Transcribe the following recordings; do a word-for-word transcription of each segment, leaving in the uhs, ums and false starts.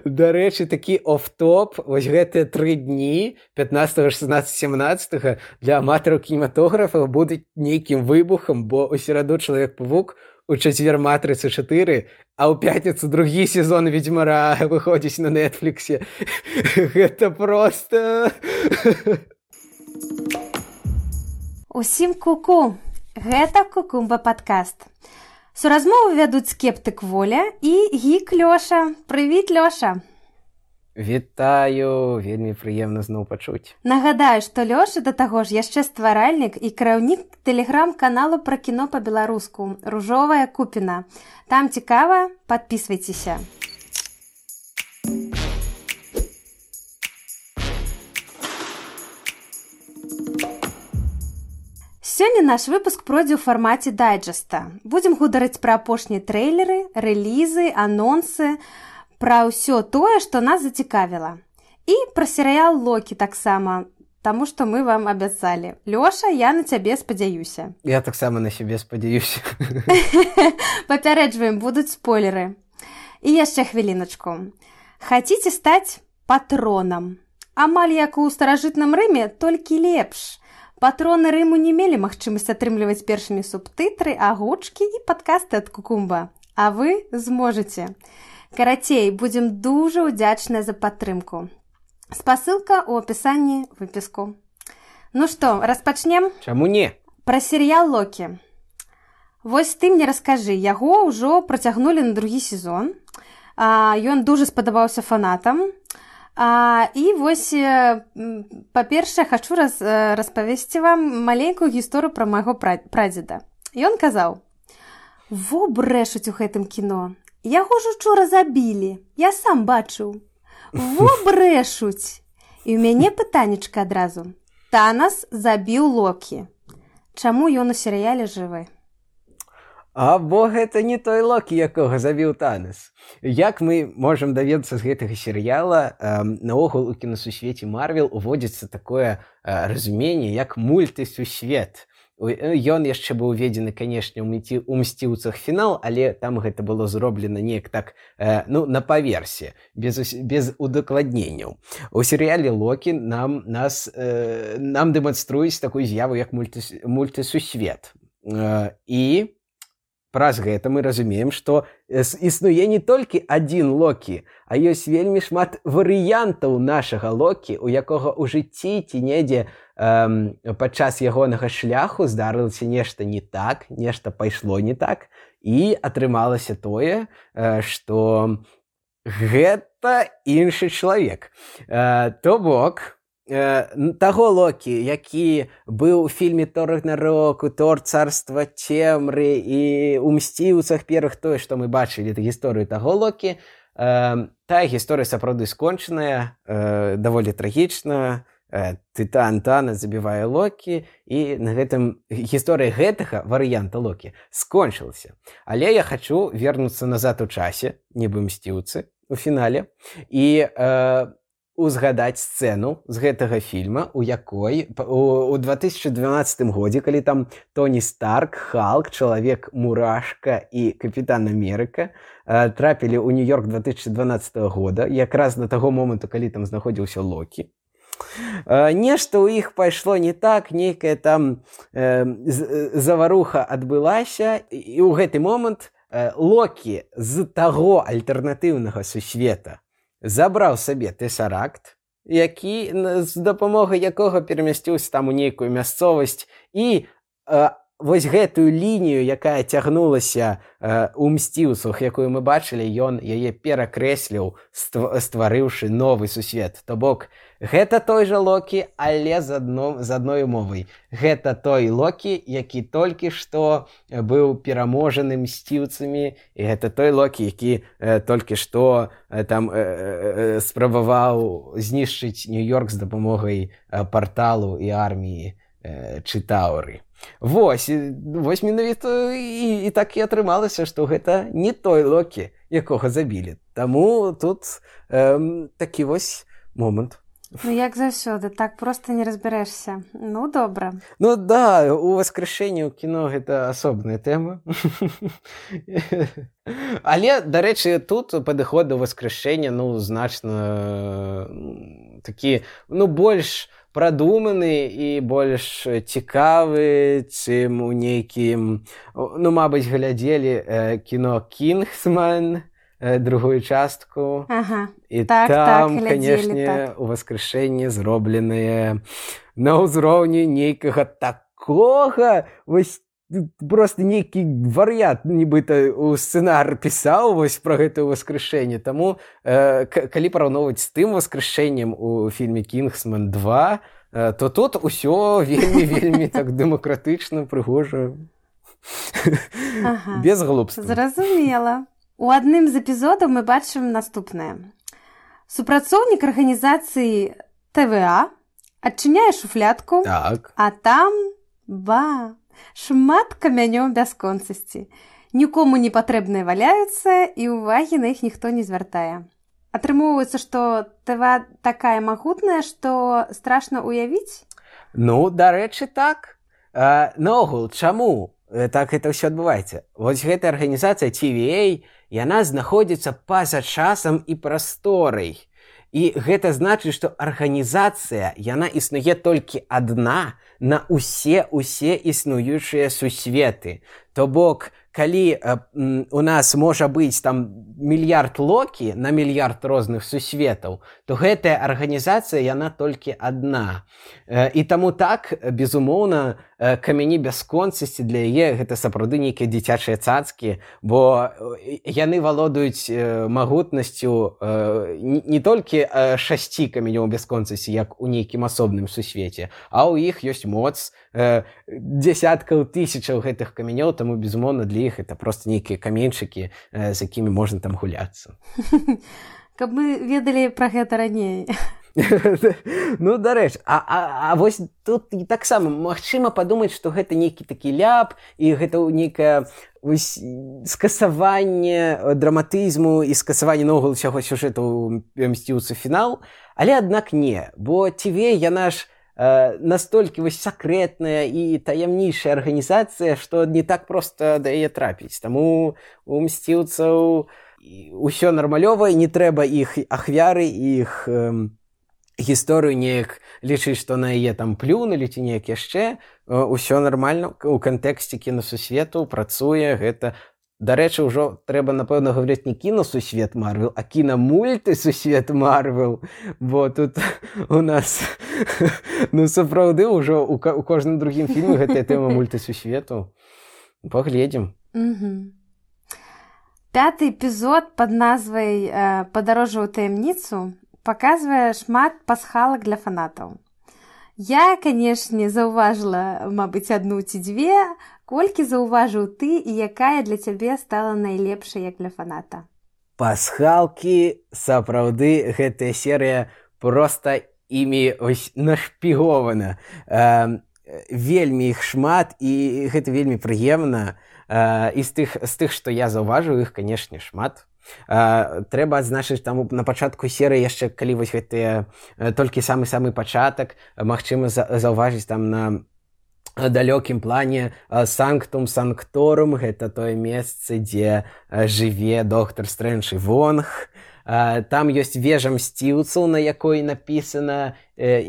Дарэчы, такі оф-топ, вось гэтыя тры дні пятнадцатага, шаснаццатага, семнаццатага для аматараў кінематографа будуць нейкім выбухам, бо ў сераду Чалавек-павук, у чацвер Матрыца чатыры, а ў пятніцу другі сезон Ведзьмара выходзіць на Нетфліксе. Гэта проста... Усім ку-ку! Гэта Кукумба падкаст. Суразмову вядуць скептык Воля і гік Лёша. Прывіт, Лёша! Вітаю! Вельмі прыемна зноў пачуць. Нагадаю, што Лёша да таго ж яшчэ стваральнік і кіраўнік тэлеграм-каналу пра кіно па-беларуску «Ружовая купіна». Там цікава, падпісвайцеся. Сёння наш выпуск пройдзе ў фармаце дайджэста. Будзем гутарыць пра апошнія трэйлеры, рэлізы, анонсы, пра ўсё тое, што нас зацікавіла. І пра серыял «Локі» таксама, таму што мы вам абяцалі. Лёша, я на цябе спадзяюся. Я таксама на сябе спадзяюся. Папярэджваем, будуць спойлеры. І яшчэ хвіліначку. Хаціце стаць патронам? Амаль як у старажытным Рыме, толькі лепш. Патроны Рыму не мелі магчымасць атрымліваць першымі субтытры, агучкі і падкасты ад Кукумба. А вы зможаце. Карацей, будзем дужа ўдзячныя за падтрымку. Спасылка ў апісанні выпіску. Ну што, распачнем? Чаму не? Пра серыял «Локі». Вось ты мне раскажы, яго ўжо працягнулі на другі сезон. А, ён дужа спадабаўся фанатам. А, і вось, па-першае, хачу раз, распавесці вам маленькую гісторыю пра майго прадзеда. Ён казаў: «Во брэшуць у гэтым кіно. Яго ж учора забілі. Я сам бачыў. Во брэшуць». І ў мяне пытанечка адразу. Танас забіў Локі. Чаму ён у серыяле жывы? А бо гэта не той Локі, якога забіў Танас. Як мы можам даведацца з гэтага серыяла, э, наогул у кінасусвеце Марвел уводзіцца такое э, разуменне, як мультысусвет. Ён яшчэ быў уведзены, канешне, у «Мсціўцах» фінал, але там гэта было зроблена неяк так, э, ну, на паверсе, без, без удакладненняў. У серыяле «Локі» нам, нас, э, нам дэманструюць такую з'яву, як мультыс, мультысусвет. Э, і праз гэта мы разумеем, што існуе не толькі адзін Локі, а ёсць вельмі шмат варыянтаў нашага Локі, у якога ў жыцці ці недзе эм, падчас ягонага шляху здарылася нешта не так, нешта пайшло не так, і атрымалася тое, э, што гэта іншы чалавек. Э, то бок, таго Локі, які быў у фільме «Тор Рагнароку», «Тор царства цемры» і ў «Мсціўцах» першых, тое, што мы бачылі гісторыю таго Локі, э, тая гісторыя сапраўды скончаная, э, даволі трагічна, э, Тытан Танас забівае Локі, і на гэтым гісторыя гэтага варыянта Локі скончылася. Але я хачу вернуцца назад у часе, нібы «Мсціўцы» у фінале, і э, узгадаць сцэну з гэтага фільма, у якой у две тысячы дванаццатым годзе, калі там Тоні Старк, Халк, Чалавек-мурашка і Капітан Амерыка э, трапілі ў Нью-Йорк две тысячи дванаццатага года, якраз на таго моманту, калі там знаходзіўся Локі. Э, нешта ў іх пайшло не так, нейкая там э, заваруха адбылася, і ў гэты момант э, Локі з таго альтэрнатыўнага сусвета забраў сабе тэсаракт, які, з дапамогай якога перамясціўся там у нейкую мясцовасць, і э, вось гэтую лінію, якая цягнулася э, у «Мсціўцах», якую мы бачылі, ён яе перакрэсліў, стварыўшы новы сусвет. То бок, гэта той жа Локі, але з, адно, з адной умовай. Гэта той Локі, які толькі што быў пераможаны «Мсціўцамі», і гэта той Локі, які э, толькі што э, там э, э, спрабаваў знішчыць Нью-Йорк з дапамогай э, парталу і арміі э, Чытаўры. Вось, вось менавіта і, і так і атрымалася, што гэта не той Локі, якога забілі. Таму тут эм, такі вось момант. Ну, як заўсёды, так проста не разбярэшся. Ну, добра. Ну да, у воскрешэнні ў кіно гэта асобная тэма. Але, дарэчы, тут падыход да воскрешэння, ну, значна такі, ну, больш прадуманы і больш цікавы, чым у нейкім, ну, мабыць, глядзелі кіно «Кингсман», другую частку. Ага. І так, там, так, канешне, так. у воскрешэнні зробленыя на ўзроўні нейкага такога, вось просто нейкі вар'ят, нібыта у сцэнар пісаў вось пра гэта воскрешэнне. Таму, э, калі параўноўваць з тым воскрешэннем у фільме «Кингсман два», э, то тут усё вельмі-вельмі так дэмакратычна, прыгожа. Ага. Без глупства. Зразумела. У адным з эпізодаў мы бачым наступнае. Супрацоўнік арганізацыі тэ вэ а адчыняе шуфлядку, так. А там, ба, шмат камянёў бясконцасці. Нікому не патрэбныя валяюцца, і ўвагі на іх ніхто не звяртае. Атрымоўваецца, што тэ вэ а такая магутная, што страшна ўявіць? Ну, дарэчы, так. А, наогул, чаму так гэта ўсё адбываецца? Вось гэтая арганізацыя ти ви эй, яна знаходзіцца па-за часам і прасторай. І гэта значыць, што арганізацыя, яна існуе толькі адна на ўсе-ўсе існуючыя сусветы. То бок, калі э, у нас можа быць там мільярд Локі на мільярд розных сусветаў, то гэтая арганізацыя, яна толькі адна. Э, і таму так, безумоўна, э, камяні бясконцасці для яе гэта сапраўды нейкія дзіцячыя цацкі, бо яны валодаюць э, магутнасцю э, не, не толькі э, шасці камянёў бясконцасці, як у нейкім асобным сусвеце, а ў іх ёсць моц э, дзясяткаў тысячаў гэтых камянёў, таму, безумоўна, для іх это просто нейкія каменьчыкі, э, з якімі можна там гуляцца. Каб мы ведалі пра гэта раней. Ну, дарэчы, а, а, а вось тут таксама магчыма падумаць, што гэта нейкі такі ляп, і гэта нейкае скасаванне драматызму і скасаванне наогул усяго сюжэту «Мсціўцы фінал», але аднак не, бо ти ви эй, яна ж э, настолькі вось сакрэтная і таямнейшая арганізацыя, што не так проста да яе трапіць. Таму у «Мсціўцаў» усё нармалёва, не трэба іх ахвяры, іх э, гісторыю неяк лічыць, што на яе там плюнулі ці неяк яшчэ. Усё нармальна, у кантэксце кінасусвету працуе гэта. Дарэчы, ўжо трэба, напэўна, гаварыць не кінасусвет Марвел, а кінамультысусвет Марвел, бо тут у нас, ну, сапраўды, ўжо у, у кожным другім фільме гэтая тэма мультысусвету. Паглядзім. Угу. Пяты эпізод пад назвай э, «Падарожжа ў таямніцу» паказвае шмат пасхалак для фанатаў. Я, канешне, заўважыла, мабыць, адну ці дзве. Колькі заўважыў ты і якая для цябе стала найлепшай як для фаната? Пасхалкі, сапраўды, гэтая серыя проста імі нашпігована. Э, вельмі іх шмат, і гэта вельмі прыемна. Э, і з тых, з тых, што я заўважыў, іх, канешне, шмат. Uh, трэба адзначыць, таму на пачатку серыі яшчэ, калі вось гэтыя uh, толькі самы-самы пачатак, магчыма за, заўважыць там на далёкім плане uh, Санктум Санкторум, гэта тое месца, дзе uh, жыве доктар Стрэндж і Вонг. Uh, там ёсць вежа Мсціўцаў, на якой напісана uh,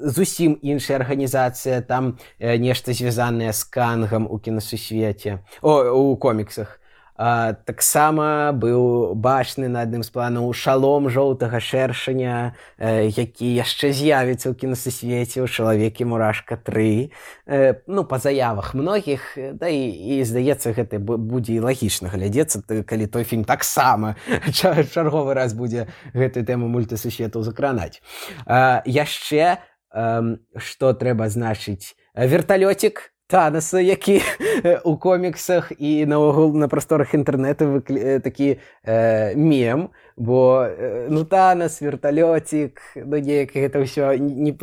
зусім іншая арганізацыя, там uh, нешта звязанае з Кангам у кінасусвеце, о, у коміксах. А, таксама быў бачны на адным з планаў шалом жоўтага шэршаня, э, які яшчэ з'явіцца ў кінасусвеце ў «Чалавекі-мурашка тры». Э, ну, па заявах многіх, да і, і здаецца, гэта будзе і лагічна глядзецца, калі той фільм таксама чарговы раз будзе гэтую тэму мультысусветаў закранаць. А, яшчэ, э, што трэба значыць, верталёцік Танаса, які у коміксах і наогул на просторах інтэрнэту выкля... такі э, мем, бо э, ну Танас, верталёцік, ну неяк гэта ўсё не,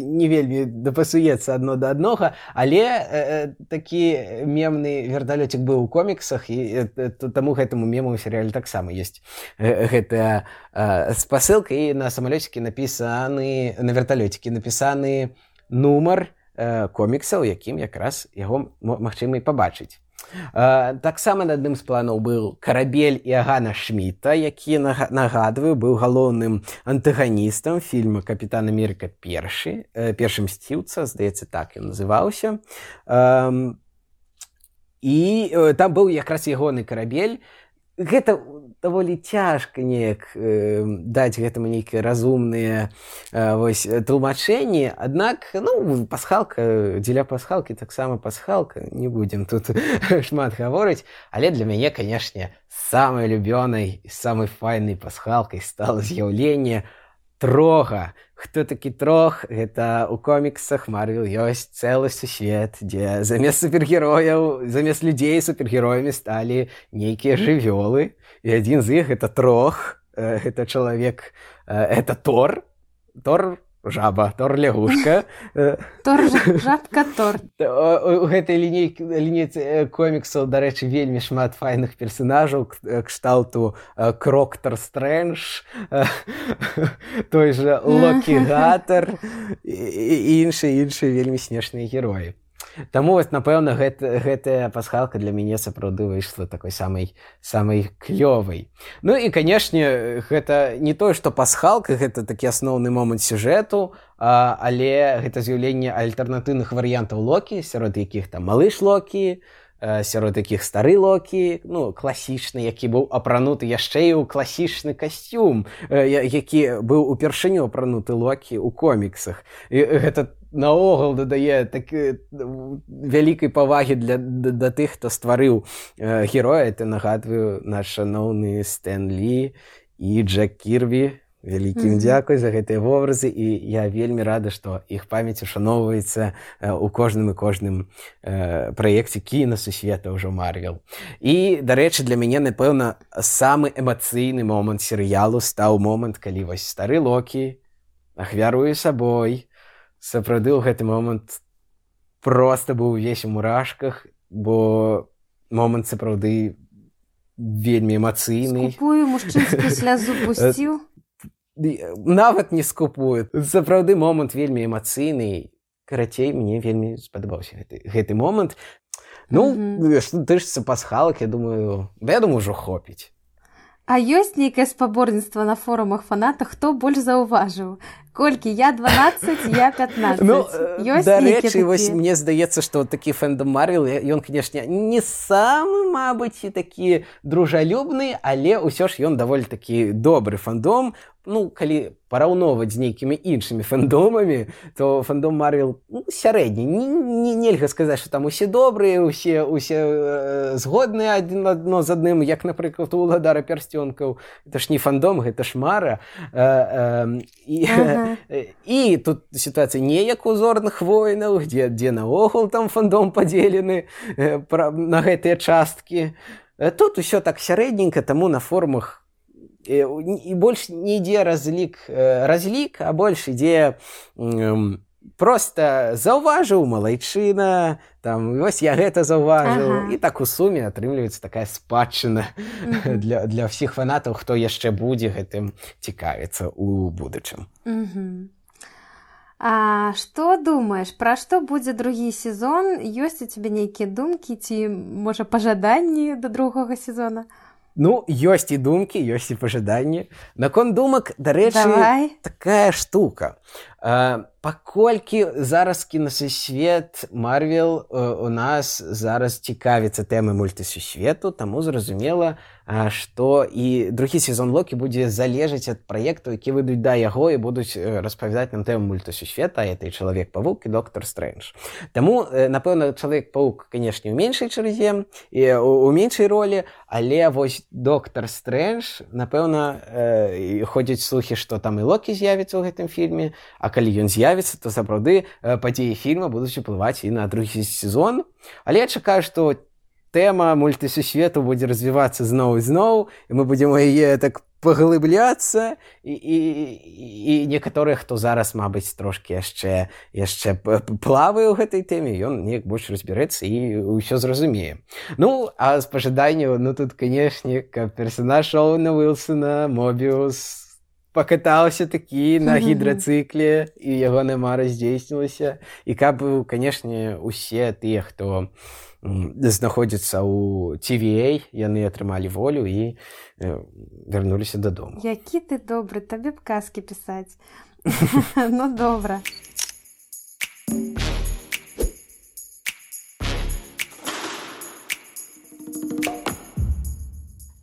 не вельмі дапасуецца адно да аднога, але э, такі мемны верталёцік быў у коміксах, і э, таму гэтаму мему ў серыяле таксама ёсць э, гэтая э, спасылка, і на самалёцікі напісаны, на верталёцікі напісаны нумар комікса, у якім якраз яго магчыма і пабачыць. Таксама на адным з планаў быў карабель Іагана Шміта, які, нагадваю, быў галоўным антаганістам фільма «Капітан Амерыка першы», першы мсціўца, здаецца, так ён называўся. І там быў якраз ягоны карабель. Гэта даволі цяжка неяк э, даць гэтаму нейкія разумныя э, вось, тлумачэнні, аднак ну, пасхалка, дзеля пасхалкі таксама пасхалка, не будзем тут шмат гаворыць, але для мяне, канешне, самай любёнай і самай файнай пасхалкай стала з'яўленне Трога. Хто такі Трог? Гэта ў коміксах Марвел ёсць цэлы сусвет, дзе замест супергерояў, замест людзей супергероямі сталі нейкія жывёлы. І адзін з іх гэта Трог, гэта чалавек, гэта Тор, Тор жаба, Тор лягушка. Тор жабка, Тор. У гэтай лінейцы коміксаў, дарэчы, вельмі шмат файных персанажаў, кшталту Кроктар Стрэндж, той жа Локі Гатар і іншыя іншыя вельмі смешныя героі. Таму, вось, напэўна, гэта, гэтая пасхалка для мяне сапраўды выйшла такой самай, самай клёвай. Ну і, канешне, гэта не тое, што пасхалка, гэта такі асноўны момант сюжэту, а, але гэта з'яўленне альтэрнатыўных варыянтаў Локі, сярод якіх там малыш Локі, сярод якіх стары Локі, ну, класічны, які быў апрануты яшчэ і ў класічны касцюм, які быў упершыню апрануты Локі ў коміксах. І гэта наогул дадае так, вялікай павагі для, да, да тых, хто стварыў э, героя. Это, нагадваю, наш шаноўны Стэн Лі і Джек Кірбі. Вялікім mm-hmm. дзякуй за гэтыя вобразы, і я вельмі рада, што іх памяць ушаноўваецца ў кожным і кожным э, праекце кінасусвета ўжо Марвел. І, дарэчы, для мяне, напэўна, самы эмацыйны момант серыялу стаў момант, калі вось стары Локі ахвяруе сабой. Сапраўды ў гэты момант проста быў увесь у мурашках, бо момант сапраўды вельмі эмацыйны. Скупую мужчынскую слязу пусціў. Нават не скупую. Сапраўды момант вельмі эмацыйны. Карацей, мне вельмі спадабаўся гэты, гэты момант. Ну, mm-hmm. што тычыцца пасхалак, я думаю, да я думаю, ўжо хопіць. А ёсць нейкае спаборніцтва на форумах фанатах, хто больш заўважыў? Колькі? Я дванаццаць, я пятнаццаць. Ну, дарэчы, вось мне здаецца, што такі фэндом Марвел, ён, канешне, не самы, мабыць, такі дружалюбны, але ўсё ж ён даволі такі добры фэндом. Ну, калі параўноўваць з нейкімі іншымі фэндомамі, то фэндом Марвел ну, сярэдні. Не, не, нельга сказаць, што там усе добрыя, усе, усе э, згодныя адзін адно з адным, як, напрыклад, у Уладара пярсцёнкаў. Гэта ж не фэндом, гэта ж мара. Э, э, і, ага. І тут сітуацыя не як у Зорных войнаў, дзе, дзе наогул там фэндом падзелены э, пра, на гэтыя часткі. Тут усё так сярэдненька, таму на форумах і больш не ідзе разлік, разлік, а больш ідзе проста заўважыў малайчына, там, вось я гэта заўважыў, ага. І так у суме атрымліваецца такая спадчына uh-huh. для, для ўсіх фанатаў, хто яшчэ будзе гэтым цікавіцца ў будучым. Uh-huh. А што думаеш, пра што будзе другі сезон? Ёсць у цябе нейкія думкі ці, можа, пажаданні да другога сезона? Ну, ёсць і думкі, ёсць і пажаданні. Наконт думак, дарэчы, такая штука. Uh, паколькі зараз кінасусвет Марвел uh, у нас зараз цікавіцца тэмай мультысусвету, таму зразумела, uh, што і другі сезон Локі будзе залежаць ад праектаў, які выйдуць да яго і будуць uh, распавядаць нам тэму мультысусвета, а это і Чалавек-павук і Доктар Стрэндж. Таму, uh, напэўна, Чалавек-павук, канешне, у меншай чарзе, і у, у меншай ролі, але вось Доктар Стрэндж, напэўна, uh, ходзяць слухі, што там і Локі з'явіцца ў гэтым фільме, а а калі ён з'явіцца, то сапраўды падзеі фільма будуць уплываць і на другі сезон. Але я чакаю, што тэма мультысусвету будзе развівацца зноў і зноў, і мы будзем у яе так паглыбляцца, і, і, і некаторыя, хто зараз, мабыць, трошкі яшчэ, яшчэ плавае ў гэтай тэме, ён неяк больш разбярэцца і ўсё зразумее. Ну, а з пажаданняў, ну тут, канешне, каб персанаж Оуэна Уілсона, Мобіус, пакатаўся такі на гідрацыкле, і ягоная мара здзейснілася, і каб, канешне, усе тыя, хто знаходзяцца ў Ти Ви Эй, яны атрымалі волю і вярнуліся дадому. Які ты добры, табе б казкі пісаць. Ну, добра.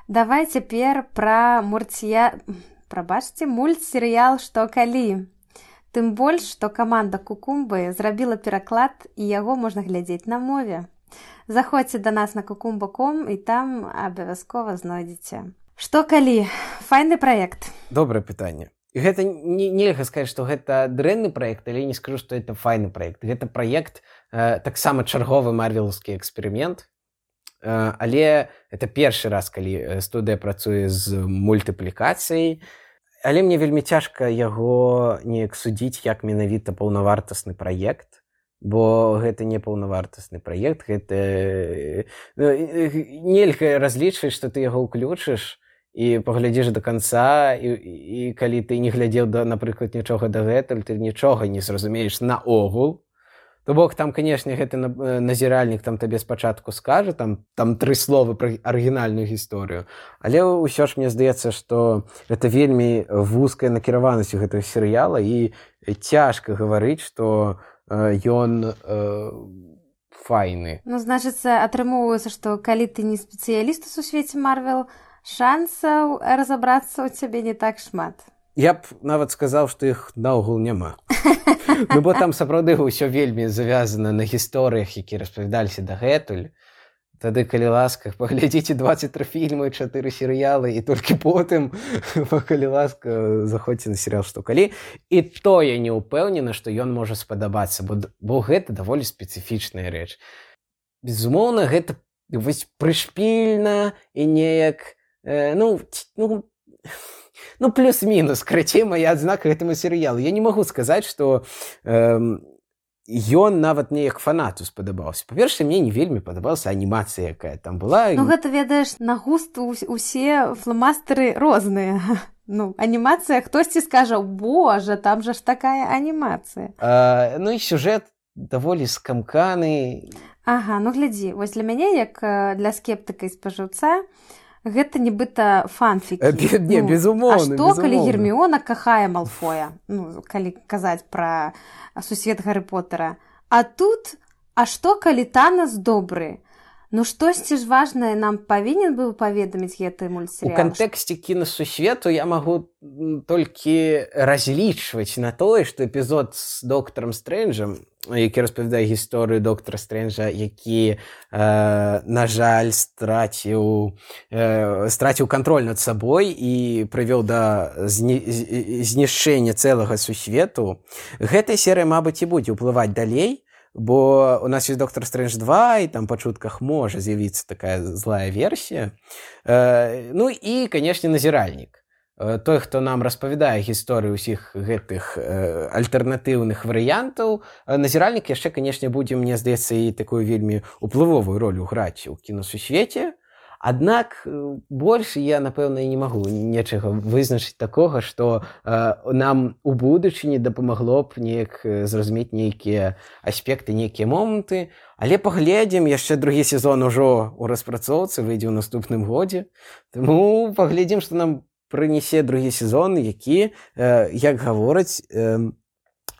Давай цяпер пра мурція... Прабачце, мультсерыял «Што калі?». Тым больш, што каманда Кукумбы зрабіла пераклад, і яго можна глядзець на мове. Заходзьце да нас на кукумба точка ком і там абавязкова знойдзеце. Што калі? Файны праект. Добрае пытанне. І гэта не, нельга сказаць, што гэта дрэнны праект, але не скажу, што гэта файны праект. Гэта праект э, таксама чарговы марвелаўскі эксперымент, э, але это першы раз, калі студыя працуе з мультыплікацыяй. Але мне вельмі цяжка яго неяк судзіць як менавіта паўнавартасны праект, бо гэта не паўнавартасны праект, гэта нельга разлічваць, што ты яго ўключыш і паглядзіш да канца, і, і калі ты не глядзеў, да, напрыклад, нічога дагэтуль, ты нічога не зразумееш наогул. То бок, там, канешне, гэты назіральнік там табе спачатку скажа, там, там тры словы пра арыгінальную гісторыю, але ўсё ж мне здаецца, што гэта вельмі вузкая накіраванасць у гэтага серыяла, і цяжка гаварыць, што ён э, файны. Ну, значыцца, атрымоўваецца, што калі ты не спецыяліст у сусвеце Марвел, шансаў разабрацца ў цябе не так шмат. Я б нават сказаў, што іх наогул няма. Ну, бо там сапраўды ўсё вельмі завязана на гісторыях, якія распавядаліся дагэтуль. Тады, калі ласка, паглядзіце дваццаць тры фільмы, чатыры серыялы, і толькі потым, калі ласка, заходзьце на серыял «Што калі?». І то я не ўпэўнена, што ён можа спадабацца, бо, бо гэта даволі спецыфічная рэч. Безумоўна, гэта вось прышпільна і неяк, э, ну, ну, ну, плюс-мінус, карацей, мая адзнака гэтаму серыялу. Я не магу сказаць, што... Э, ён нават неяк фанату спадабаўся. Па-першае, мне не вельмі падабалася анімацыя, якая там была. Ну, гэта, ведаеш, на густ усе фломастары розныя. Ну, анімацыя, хтосьці скажа, божа, там жа ж такая анімацыя. А, ну, і сюжэт даволі скамканы. Ага, ну, глядзі, вось для мяне, як для скептыка і спажыўца, гэта нібыта фанфікі. Э, не, ну, безумоўна, а што, безумоўна. Калі Герміона кахае Малфоя? Ну, калі казаць пра сусвет Гарры Поттера. А тут, а што, калі Танас добры? Ну, штосьці ж важнае нам павінен быў паведаміць гэты мультсерыял. У кантэксце кінасусвету я магу толькі разлічваць на тое, што эпізод з доктарам Стрэнджам, які распавядае гісторыю доктара Стрэнджа, які, э, на жаль, страціў, э, страціў кантроль над сабой і прывёў да знішчэння цэлага сусвету. Гэтая серыя, мабыць, і будзе ўплываць далей, бо у нас ёсць доктар Стрэндж два, і там па чутках можа з'явіцца такая злая версія. Э, ну і, канешне, назіральнік. Той, хто нам распавядае гісторыю ўсіх гэтых э, альтэрнатыўных варыянтаў, назіральнік яшчэ, канешне, будзе, мне здаецца, і такую вельмі ўплывовую ролю граць у кінасусвеце. Аднак больш я, напэўна, і не магу нечага вызначыць такога, што э, нам у будучыні дапамагло б неяк зразумець нейкія аспекты, нейкія моманты. Але паглядзім, яшчэ другі сезон ужо ў распрацоўцы, выйдзе ў наступным годзе. Таму паглядзім, што нам прынясе другі сезон, які, э, як гавораць, э,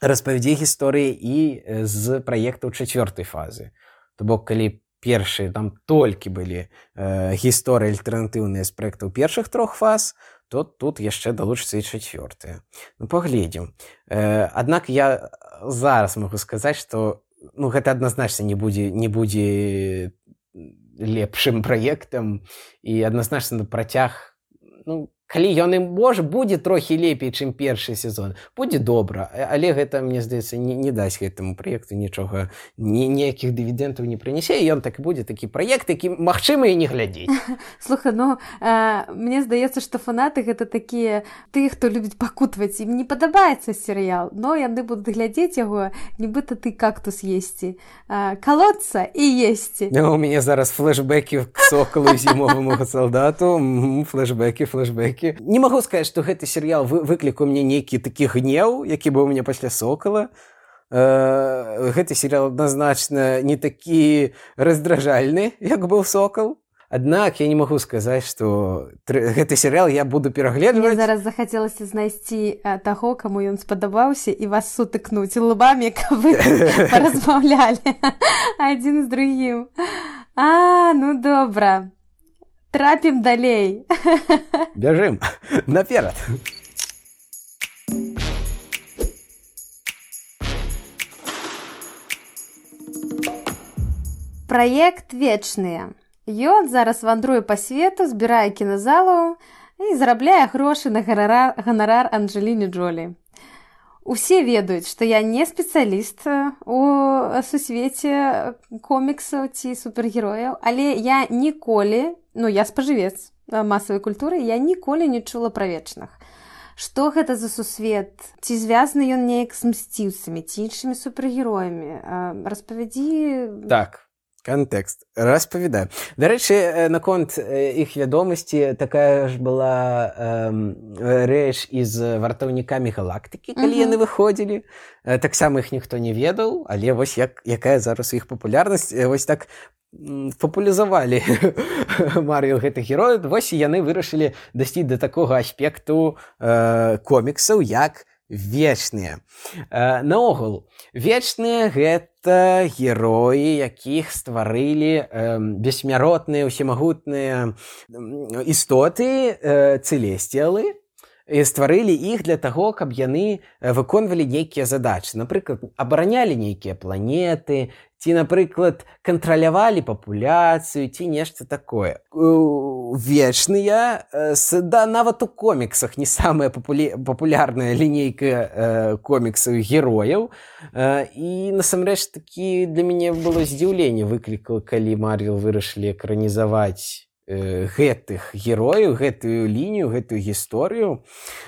распавядзе гісторыі і з праектаў чацвёртай фазы. То бок, калі першыя там толькі былі э, гісторыі альтэрнатыўныя з праектаў першых трох фаз, то тут яшчэ далучыцца і чацвёртая. Ну, паглядзім. Э, аднак я зараз магу сказаць, што ну, гэта адназначна не будзе, не будзе лепшым праектам, і адназначна на працяг, ну, калі ён і можа будзе трохі лепей, чым першы сезон, будзе добра, але гэта, мне здаецца, не, не дасць гэтаму праекту нічога, ні, ніякіх дывідэнтаў не прынясе, і ён так і будзе такі праект, які магчыма і не глядзець. Слухай, ну э, мне здаецца, што фанаты гэта такія тыя, хто любіць пакутваць, ім не падабаецца серыял, но яны будуць глядзець яго, нібыта ты кактус есці, э, калоцца і есці. Ну, у мяне зараз флешбэкі к Сокалу і зімоваму салдату, флешбэкі, флешбэкі. Не магу сказаць, што гэты серыял выклікаў мне нейкі такі гнеў, які быў у мяне пасля Сокала. Э, гэты серыял адназначна не такі раздражальны, як быў Сокал. Аднак я не магу сказаць, што гэты серыял я буду перагледваць. Мне зараз захацелася знайсці таго, каму ён спадабаўся, і вас сутыкнуць лбамі, каб вы паразмаўлялі адзін з другім. А, ну добра. Трапім далей. Бяжым. Наперад. Праект «Вечныя». Ён зараз вандруе па свету, збірае кіназалаў і зарабляе грошы на ганарар, ганарар Анджэліне Джолі. Усе ведаюць, што я не спецыяліст у сусвеце коміксаў ці супергерояў, але я ніколі, ну я спажывец масавай культуры, я ніколі не чула пра вечных. Што гэта за сусвет? Ці звязаны ён неяк з мсціўцамі, ці іншымі супергероямі? Распавядзі... Так. Кантэкст. Распавядаю. Дарэчы, наконт іх вядомасці такая ж была э, рэч і з вартаўнікамі галактыкі, калі uh-huh. яны выходзілі. Таксама іх ніхто не ведаў, але вось як, якая зараз іх папулярнасць. Вось так папулярызавалі Марвел гэтых герояў. Вось і яны вырашылі дасці да такога аспекту э, коміксаў, як вечныя. Э, наогул, вечныя гэта героі, якіх стварылі э, бессмяротныя, усемагутныя істоты, э, цэлесціалы, і стварылі іх для таго, каб яны выконвалі нейкія задачы. Напрыклад, абаранялі нейкія планеты, ці, напрыклад, кантралявалі папуляцыю, ці нешта такое. Вечныя, да, нават у коміксах не самая папулі... папулярная лінейка э, коміксаў герояў. Э, і, насамрэч, такі для мяне было здзіўленне выклікала, калі Марвел вырашылі экранізаваць гэтых герояў, гэтую лінію, гэтую гісторыю.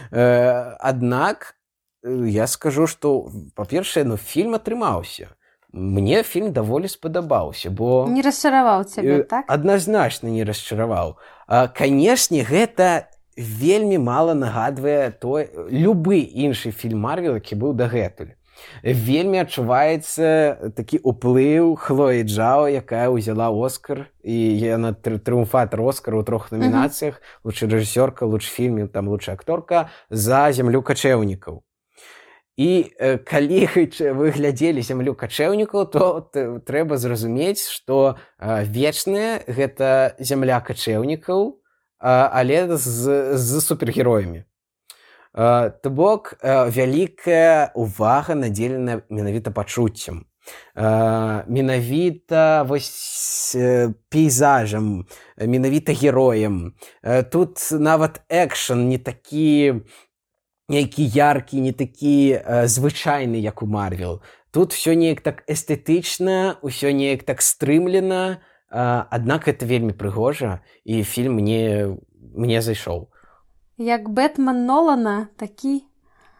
Э, аднак, я скажу, што, па-першае, ну, фільм атрымаўся. Мне фільм даволі спадабаўся, бо... Не расчараваў цябе, так? Адназначна не расчараваў. А, канешне, гэта вельмі мала нагадвае той, любы іншы фільм Марвел, які быў дагэтуль. Вельмі адчуваецца такі ўплыў Хлоі Джао, якая ўзяла Оскар, і яна трыумфатар Оскара ў трох намінацыях, uh-huh. лучшая рэжысёрка, лучшы фільм, там лучшая акторка, за «Зямлю качэўнікаў». І э, калі вы глядзелі «Зямлю качэўнікаў», то т- трэба зразумець, што э, вечная гэта зямля качэўнікаў, э, але з, з супергероямі. Uh, то бок, uh, вялікая увага надзелена менавіта пачуццем. Uh, менавіта вось uh, пейзажам, менавіта героем. Uh, тут нават экшн не такі нейкі яркі, не такі uh, звычайны, як у Марвел. Тут всё неяк так эстэтычна, усё неяк так стрымлена, uh, аднак гэта вельмі прыгожа, і фільм мне, мне зайшоў. Як Бэтмен Нолана, такі?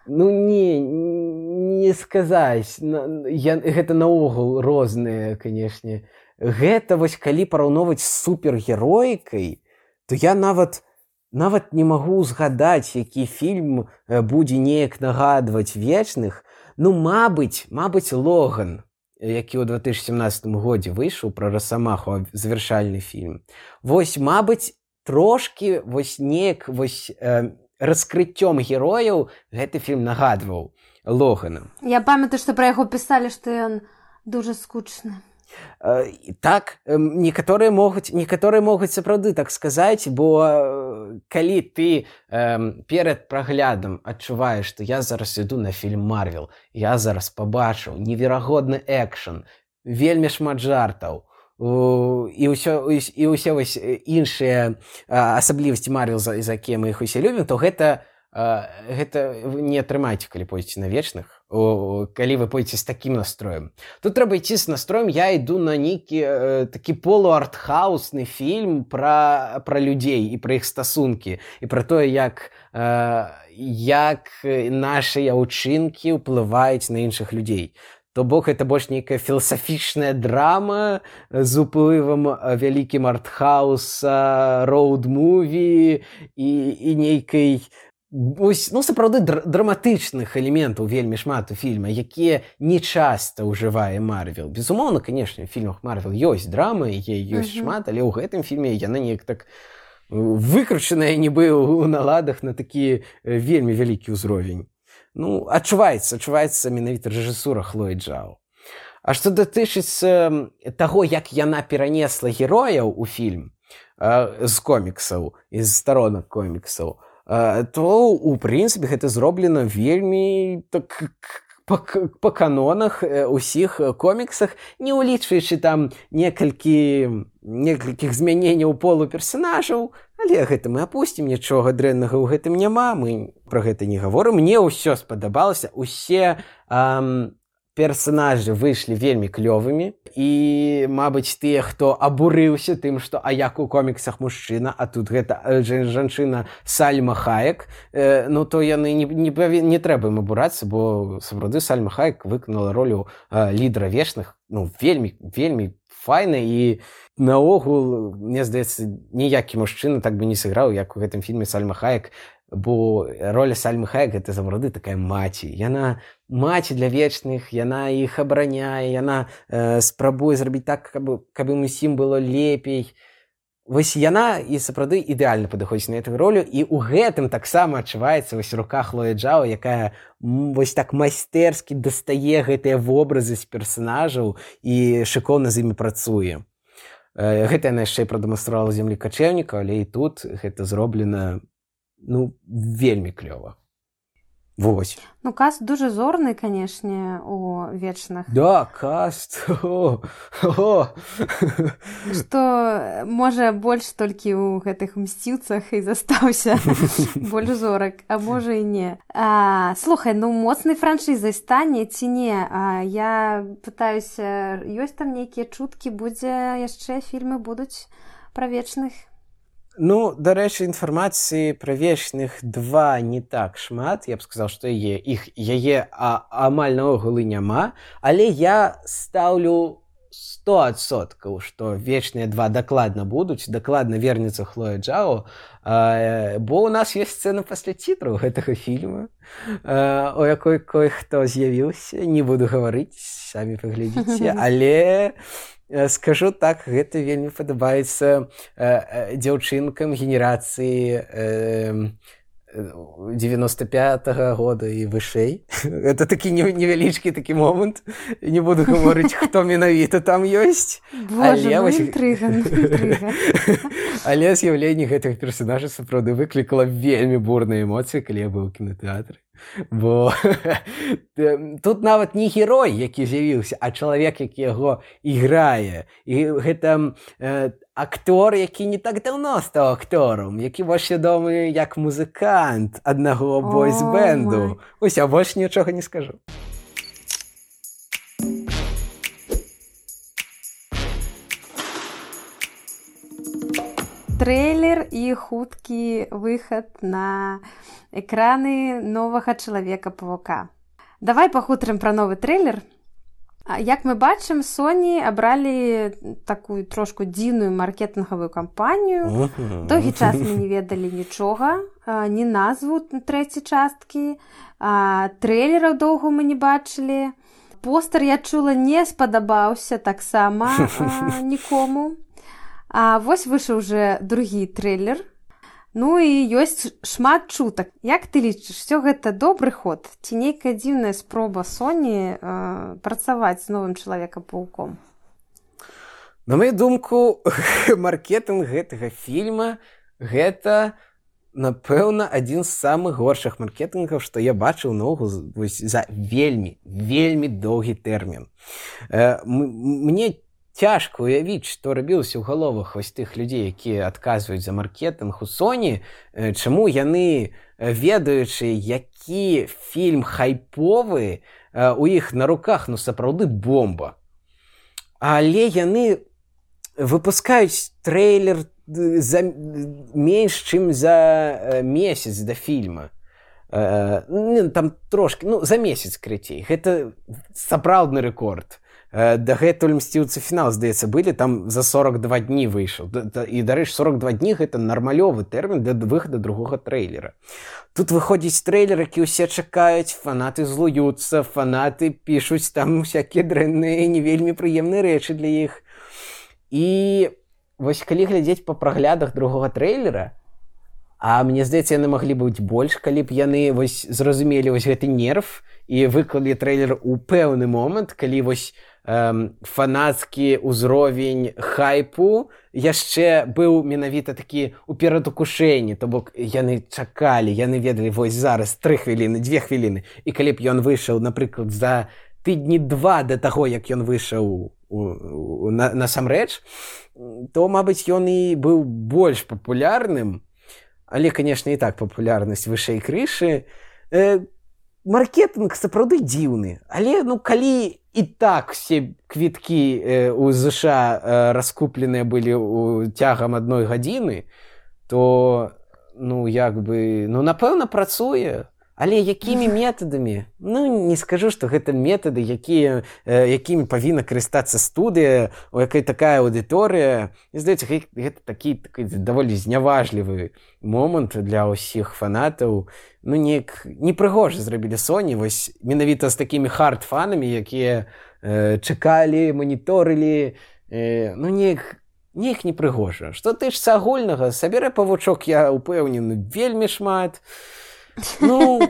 Ну, не, не сказаць. Я, гэта наогул розныя, канешне. Гэта вось калі параўноўваць з супергероікай, то я нават, нават не магу згадаць, які фільм будзе неяк нагадваць вечных. Ну, мабыць, мабыць, Логан, які ў две тысячы сямнадцатым годзе выйшаў пра Расамаху, завяршальны фільм. Вось, мабыць, трошкі вось неяк вось э, раскрыццём герояў гэты фільм нагадваў Логана. Я памятаю, што пра яго пісалі, што ён дужа скучны. Э, так, э, некаторыя могуць, некаторыя могуць сапраўды так сказаць, бо э, калі ты э, перад праглядам адчуваеш, што я зараз іду на фільм Марвел, я зараз пабачыў неверагодны экшн, вельмі шмат жартаў, і ўсё, і ўсе вось іншыя асаблівасці Марвел, за, за якія мы іх усе любім, то гэта, гэта не атрымаеце, калі пойдзеце на вечных, о, калі вы пойдзеце з такім настроем. Тут трэба ісці з настроем, я іду на нейкі э, такі полуартхаусны фільм пра, пра людзей і пра іх стасункі, і пра тое, як, э, як нашыя ўчынкі ўплываюць на іншых людзей. То бок гэта больш нейкая філасафічная драма з уплывам вялікім артхауса, роуд-муві і, і нейкай, ось, ну, сапраўды др- драматычных элементаў вельмі шмат у фільме, якія не часта ўжывае Марвел. Безумоўна, канешне, у фільмах Марвел ёсць драмы, ёсць mm-hmm. шмат, але ў гэтым фільме яна неяк так выкручаная нібы ў наладах на такі вельмі вялікі ўзровень. Ну, адчуваецца, адчуваецца менавіта рэжысура Хлоі Джао. А што датычыцца таго, як яна перанесла герояў у фільм э, з коміксаў, з старонак коміксаў, э, то, у прынцыпе, гэта зроблена вельмі так, па, па канонах усіх коміксах, не ўлічваючы там некалькі, некалькіх змяненняў полу персанажаў, але гэта мы апусцім, нічога дрэннага ў гэтым няма, мы пра гэта не гаворым. Мне ўсё спадабалася, усе эм, персанажы выйшлі вельмі клёвымі, і, мабыць, тыя, хто абурыўся тым, што а як у коміксах мужчына, а тут гэта жанчына Сальма Хаек, э, ну то яны не, не, не трэба ім абурацца, бо сапраўды Сальма Хаек выканала ролю э, лідара вечных, ну, вельмі, вельмі файна, і наогул, мне здаецца, ніякі мужчына так бы не сыграў, як у гэтым фільме Сальма Хаек, бо роля Сальмы Хаек гэта сапраўды такая маці. Яна маці для вечных, яна іх абараняе, яна э, спрабуе зрабіць так, каб, каб ім усім было лепей. Вось яна і сапраўды ідэальна падыходзіць на гэтую ролю, і ў гэтым таксама адчуваецца вось рука Хлоі Джао, якая вось так майстэрскі дастае гэтыя вобразы з персанажаў і шыкоўна з імі працуе. Гэта яна яшчэ і прадэманстравала зямлі качэўніка, але і тут гэта зроблена, ну, вельмі клёва. Вось. Ну, каст дуже зорны, канешне, у вечных. Да, каст. О, о. Што, можа, больш толькі ў гэтых мсціўцах і застаўся больш зорак, а можа і не. А, слухай, ну, моцнай франшызай стане ці не? А, я пытаюся, ёсць там нейкія чуткі, будзе яшчэ фільмы будуць пра вечных? Ну, дарэчы, інфармацыі пра вечных два не так шмат. Я б сказаў, што яе, іх, яе а, амаль наогул і няма, але я стаўлю сто адсоткаў, што вечныя два дакладна будуць, дакладна вернецца Хлоя Джао, а, бо ў нас ёсць сцэна пасля цітраў гэтага фільма, а, у якой кой-хто з'явіўся, не буду гаварыць, самі паглядзіце, але... Скажу так, гэта вельмі падабаецца э, дзяўчынкам генерацыі э, девяносто пятага года і вышэй. Это такі невялічкі такі момант. Не буду гаварыць, хто менавіта там ёсць. Боже, але, ну вось... інтрыга, інтрыга. Але з'яўленне гэтых персанажаў сапраўды выклікала вельмі бурныя эмоцыі, калі я быў у кінатэатры. Бо тут нават не герой, які з'явіўся, а чалавек, які яго іграе. І гэта э, актор, які не так даўно стаў акторам, які больш вядомы як музыкант аднаго бойс-бэнду. Ось, а больш нічога не скажу. Трэйлер і хуткі выхад на экраны новага Чалавека-павука. Давай пахутарым пра новы трэйлер. Як мы бачым, Sony абралі такую трошку дзіўную маркетынгавую кампанію. Доўгі час мы не ведалі нічога, ні назву трэцяй часткі, трэйлераў доўга мы не бачылі. Постэр, я чула, не спадабаўся таксама нікому. А вось выйшаў уже другі трэйлер. Ну і ёсць шмат чутак. Як ты лічыш, усё гэта добры ход? Ці нейкая дзіўная спроба Sony э, працаваць з новым Чалавекам-павуком? На маю думку, маркетынг гэтага фільма гэта, напэўна, адзін з самых горшых маркетынгаў, што я бачыў наогул за вельмі, вельмі доўгі тэрмін. Э, мне цяжка уявіць, што рабілася ў галовах вось тых людзей, якія адказваюць за маркетынг у Sony, чаму яны, ведаючы, які фільм хайповы, у іх на руках, ну, сапраўды бомба. Але яны выпускаюць трэйлер за менш, чым за месяц да фільма. Там трошки, ну, за месяц крыцей. Гэта сапраўдны рэкорд. Дагэтуль «Мсціўцы. Фінал», здаецца, былі, там за сорок два дні выйшаў. І, дарэчы, сорок два дні – гэта нармалёвы тэрмін для выхаду другога трэйлера. Тут выходзіць трэйлер, які ўсе чакаюць, фанаты злуюцца, фанаты пішуць там всякія дрэнныя, не вельмі прыемныя рэчы для іх. І вось калі глядзець па праглядах другога трэйлера, а мне здаецца, яны маглі быць больш, калі б яны вось зразумелі вось гэты нерв і выклалі трэйлер у пэўны момант, калі вось эм, фанацкі ўзровень хайпу яшчэ быў менавіта такі ў перадукушэнні, то бок яны чакалі, яны ведалі вось зараз тры хвіліны, дзве хвіліны. І калі б ён выйшаў, напрыклад, за тыдні два да таго, як ён выйшаў на, насамрэч, то, мабыць, ён і быў больш папулярным. Але, конечно, і так папулярнасць вышэй крышы. Э, маркетынг сапраўды дзіўны. Але, ну, калі і так все квіткі э, у ЗША э, раскупленыя былі у цягам адной гадзіны, то, ну, як бы, ну, напэўна, працуе. Але якімі метадамі? Ну, не скажу, што гэта метады, якія, э, якімі павінна карыстацца студыя, у якой такая аўдыторыя. І, здаецца, гэта такі, такі даволі зняважлівы момант для ўсіх фанатаў. Ну, неяк непрыгожа зрабілі Sony, вось менавіта з такімі хард-фанамі, якія э, чакалі, маніторылі. Э, ну, неяк, неяк непрыгожа. Што тычыцца агульнага, саберэ павучок, я ўпэўнены, вельмі шмат. Ну,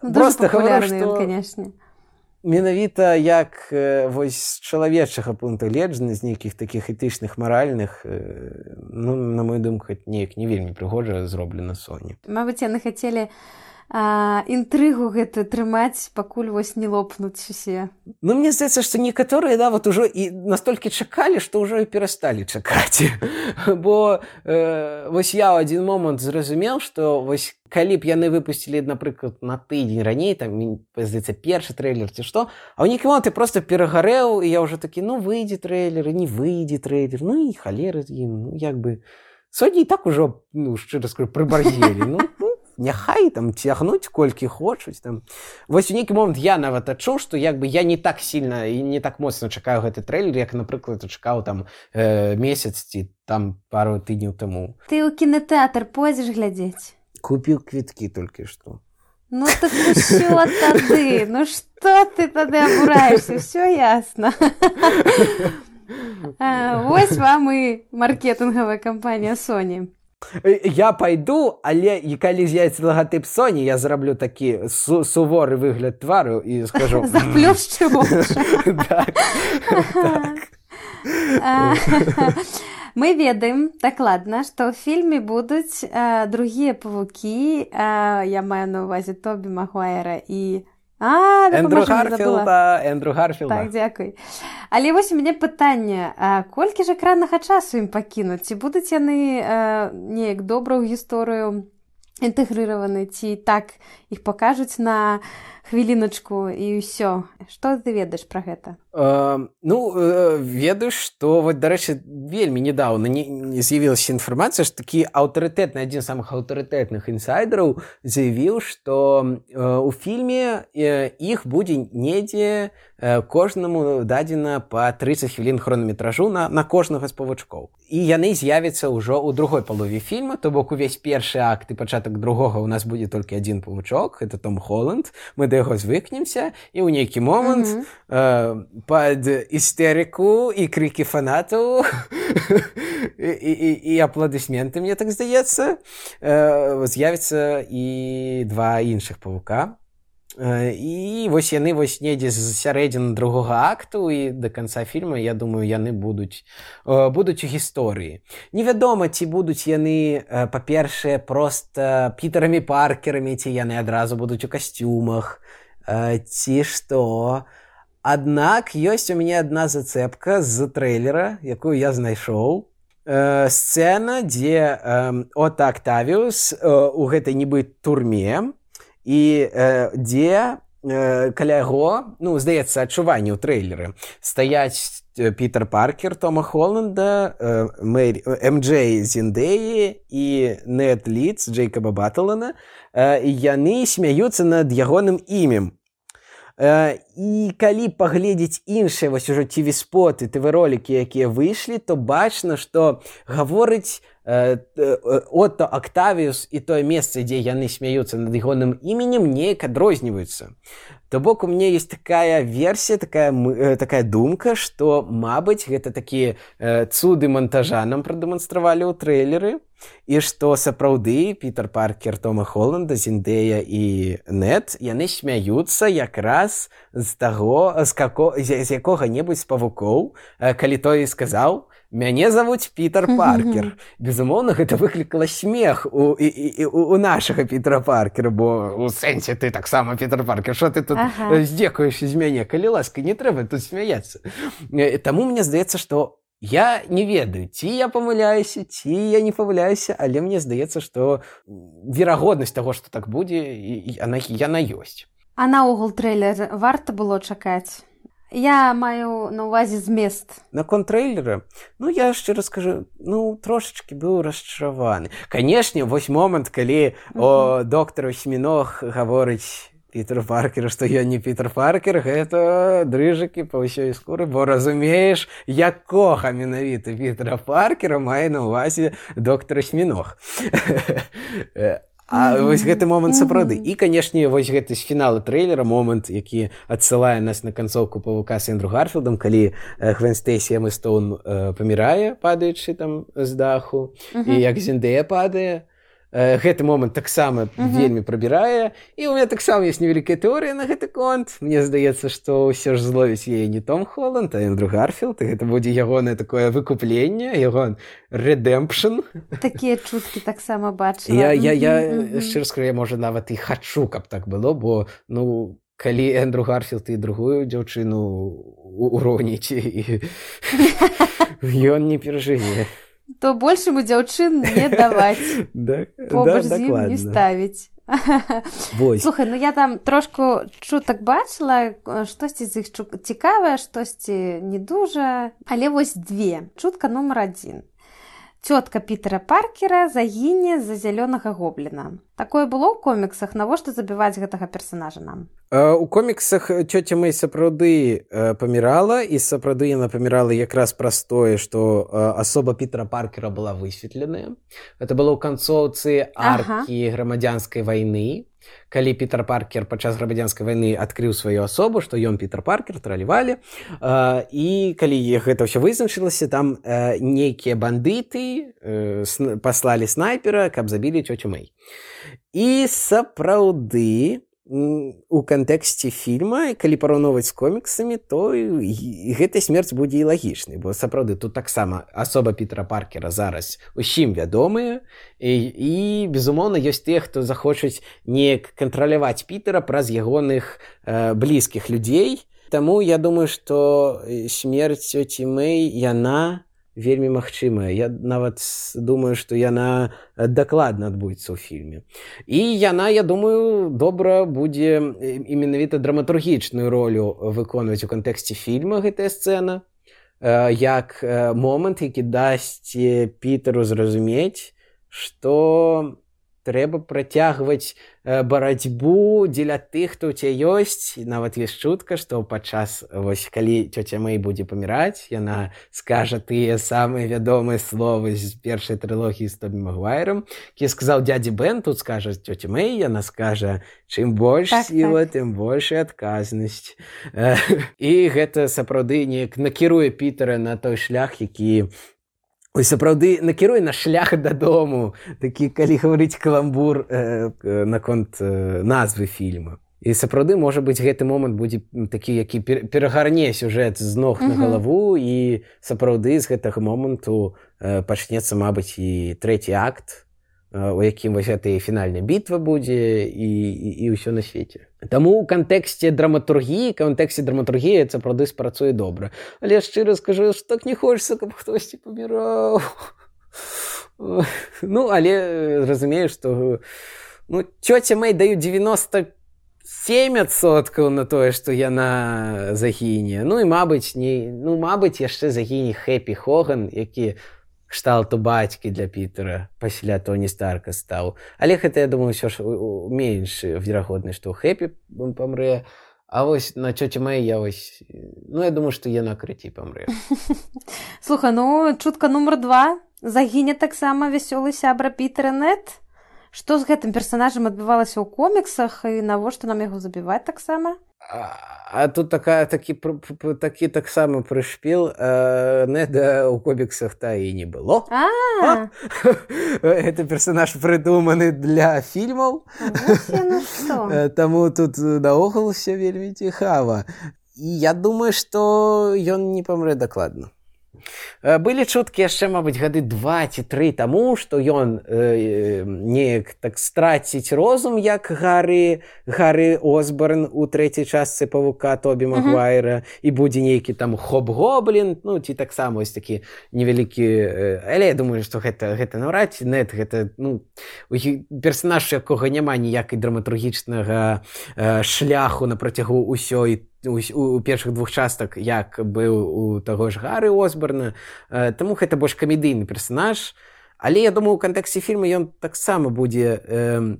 просто говорю, што менавіта як вось з чалавечага пункту гледжання, з нейкіх такіх этычных, маральных, ну, на мою думку, неяк не вельмі прыгожа зроблена Sony. Мабыць, яны хацелі а, інтрыгу гэту трымаць, пакуль вось не лопнуць усе. Ну, мне здаецца, што некаторыя, да, вот ужо і настолькі чакалі, што ўжо і перасталі чакаць. Бо э, вось я ў адзін момант зразумеў, што вось калі б яны выпусцілі, напрыклад, на тыдзень раней, там, здаецца, першы трэйлер ці што, а ў нейкі момант я проста перагарэў, і я ўжо такі, ну, выйдзе трэйлер, і не выйдзе трэйлер, ну, і халеры з ім, ну, як бы... Сёння і так ужо, ну, шчыра скажу, прыбарзелі, ну, няхай там цягнуць колькі хочуць там. Вось у нейкі момант я нават адчуў, што як бы я не так сильно і не так моцна чакаю гэты трэйлер, як, напрыклад, чакаў там э, месяц ці там пару тыдняў таму. Ты ў кінотэатр пойдзеш глядзець? Купіў квіткі толькі што. Ну так усё тады, ну што ты тады абураешься, всё ясно. Вось вам і маркетынгавая кампанія Sony. Я пайду, але і калі з'явіцца лагатып Sony, я зраблю такі су суворы выгляд твару і скажу... Заплюшчу вочы. Так, так. Мы ведаем дакладна, што ў фільме будуць а, другія павукі, а, я маю на ўвазе Тобі Магуайра і... А, Эндрю Гарфілда, Эндрю Гарфілда. Так, дзякуй. Але вось у мяне пытанне, а колькі ж экраннага часу ім пакінуць? Ці будуць яны а, неяк добра ў гісторыю інтэгрыраваны, ці так іх пакажуць на хвіліначку і ўсё? Што ты ведаеш пра гэта? Uh, ну, uh, ведаю, што, вот, дарэчы, вельмі недавно не, не з'явілася інфармацыя, што такі аўтарытэтны, адзін з самых аўтарытэтных інсайдераў заявіў, што uh, у фільме uh, іх будзе недзе uh, кожнаму дадзена па трыццаць хвілін хронаметражу на, на кожнага з павучкоў. І яны з'явяцца ўжо ў другой палове фільма, то бок увесь першы акт і пачатак другога у нас будзе толькі адзін павучок, гэта Том Холланд, мы да яго звыкнемся, і ў нейкі момант mm-hmm. uh, пад істэрыку і крыкі фанатаў і, і, і апладысменты, мне так здаецца, з'явіцца і два іншых павука. І вось яны вось недзе з сярэдзіны другога акту і да канца фільма, я думаю, яны будуць, будуць у гісторыі. Невядома, ці будуць яны, па-першае, проста Пітэрамі Паркерамі, ці яны адразу будуць у касцюмах, ці што... Аднак ёсць у мяне адна зацэпка з трэйлера, якую я знайшоў. Э, сцэна, дзе э, Отто Октавіус э, у гэтай нібы турме і э, дзе э, каля яго, ну, здаецца, адчуванне ў трэйлеры. Стаяць Пітер Паркер Тома Холланда, э, Мэри, эм джей Зендеі і Нед Лідс Джейкаба Батлана. Э, і яны смяюцца над ягоным імем. І калі паглядзець іншыя вось ужо ці ви споты, ці ви ролікі, якія выйшлі, то бачна, што гаворыць э, Отто Октавіус і тое месца, дзе яны смяюцца над ягоным іменем, неяк адрозніваюцца. То бок у мяне ёсць такая версія, такая, такая думка, што, мабыць, гэта такія э, цуды монтажа нам прадэманстравалі ў трэйлеры, і што сапраўды Пітер Паркер Тома Холланда, Зендея і Нед, яны смяюцца якраз з таго, з, како, з, з якога-небудзь з павукоў, э, калі той сказаў: «Мяне завуць Пітер Паркер». Безумоўна, гэта выклікала смех у, і, і, у, у нашага Пітера Паркера, бо у сэнсе ты таксама Пітер Паркер, што ты тут ага. здзекуешся з мяне? Калі ласка, не трэба тут смяяцца. Таму мне здаецца, што я не ведаю, ці я памыляюся, ці я не памыляюся, але мне здаецца, што верагоднасць таго, што так будзе, яна, яна ёсць. А наогул трэйлер варта было чакаць? Я маю на ўвазе змест. Наконт трэйлера, ну, я шчыра скажу, ну, трошачкі быў расчараваны. Канешне, вось момант, калі uh-huh. о доктару Сміног гаворыць Пітер Паркер, што я не Пітер Паркер, гэта дрыжыкі па ўсёй скуры, бо разумееш, якога менавіта Пітера Паркера мае на ўвазе доктара Сміног. А mm-hmm. вось гэты момант сапраўды. Mm-hmm. І, канешне, вось гэты з фінала трэйлера момант, які адсылае нас на канцоўку «Павука» з Эндрю Гарфілдам, калі Гвен Стэйсі Эмма Стоун э, памірае, падаючы там з даху, mm-hmm. і як Зендея падае. Э, гэты момант таксама mm-hmm. вельмі прабірае. І ў мяне таксама ёсць невялікая тэорыя на гэты конт. Мне здаецца, што ўсё ж зловіць яе не Том Холланд, а Эндрю Гарфілд. І гэта будзе ягонае такое выкупленне, ягон рэдэмпшн. Такія чуткі таксама бачыла. Я, я, я mm-hmm. шчыра скажу, я, можа, нават і хачу, каб так было, бо, ну, калі Эндрю Гарфілд і другую дзяўчыну уроніць, і ён не перажыве. То большему дзяўчын не даваць. Побач з ім не ставіць. Слухай, ну я там трошку чутак бачыла, штосьці з іх цікавае, штосьці не дужа, але вось две. Чутка нумар адзін. Цётка Пітера Паркера загіне з-за зялёнага гобліна. Такое было ў коміксах? Навошта забіваць гэтага персанажа нам? У коміксах цёця Мэй сапраўды памірала, і сапраўды яна памірала якраз праз тое, што асоба Пітера Паркера была высветленая. Гэта было ў канцоўцы аркі ага. грамадзянскай вайны, калі Пітер Паркер падчас грамадзянскай вайны адкрыў сваю асобу, што ён Пітер Паркер, тралівалі, і калі гэта ўсё вызначылася, там нейкія бандыты паслалі снайпера, каб забілі цёцю Мэй. І сапраўды у кантэксце фільма, калі параўноўваць з коміксамі, то гэтая смерць будзе і лагічнай, бо сапраўды тут таксама асоба Пітера Паркера зараз усім вядомая, і, і безумоўна, ёсць тыя, хто захочуць неяк кантраляваць Пітера праз ягоных э, блізкіх людзей. Таму я думаю, што смерць цёці Мэй, яна вельмі магчымая. Я нават думаю, што яна дакладна адбудзецца ў фільме. І яна, я думаю, добра будзе і менавіта драматургічную ролю выконваць у кантэксце фільма гэтая сцэна, як момант, які дасць Пітеру зразумець, што трэба працягваць барацьбу дзеля тых, хто ў цябе ёсць. Нават ёсць чутка, што падчас, вось, калі цёця Мэй будзе паміраць, яна скажа тыя самыя вядомыя словы з першай трылогіі з Тобі Магуайрам, які сказаў дзядзі Бен, тут скажа цёця Мэй, яна скажа, чым больш так, сіла, так. тым большая адказнасць. І гэта сапраўды неяк накіруе Пітера на той шлях, які ой, сапраўды накіруе на шлях дадому, такі, калі гаварыць каламбур э, наконт э, назвы фільма. І сапраўды, можа быць, гэты момант будзе такі, які перагарне сюжэт з ног на галаву, і сапраўды з гэтага моманту э, пачнецца, мабыць, і трэці акт у якім вось гэта і фінальная бітва будзе і, і, і ўсё на свеце. Таму ў кантэксце драматургіі, кантэксце драматургіі сапраўды спрацуе добра. Але шчыра скажу, што так не хочацца, каб хтосьці паміраў. Ну, але разумею, што ну, цёця Мэй даю девяносто семь адсоткаў на тое, што яна загіне. Ну і мабыць, не, ну, мабыць, яшчэ загіне Хэпі Хоган, які кшталту бацькі для Пітера пасля Тоні Старка стаў. Але гэта, я думаю, ўсё ж менш верагодна, што Хэпі памрэ. А вось на цёце Мэй я вось... Ну, я думаю, што яна крыцей памрэ. Слухай, ну, чутка нумар два. Загіне таксама вясёлы сябра Пітера Нед. Што з гэтым персанажам адбывалася ў коміксах і навошта нам яго забіваць таксама? А, а тут такая, такі, такі таксама прышпіл. Неда ў коміксах та і не было. А! Гэта персанаж прыдуманы для фільмаў. Таму тут наогул усё вельмі цікава. І я думаю, што ён не памрэ дакладна. Былі чуткі яшчэ, мабыць, гады два ці тры таму, што ён э, неяк так страціць розум, як Гары, Гары Осборн у трэцяй частцы Павука Тобі Магуайра, uh-huh. і будзе нейкі там Хоб-Гоблін, ну, ці таксама ось такі невялікі... Э, але я думаю, што гэта, гэта наўрад ці Нед, гэта, ну, персанаж, якога няма ніякай драматургічнага э, шляху на працягу ўсёй у, у першых двух частак, як быў у таго ж Гары Осборна. Э, таму гэта больш камедыйны персанаж. Але я думаю, у кантэксце фільма ён таксама будзе... Э,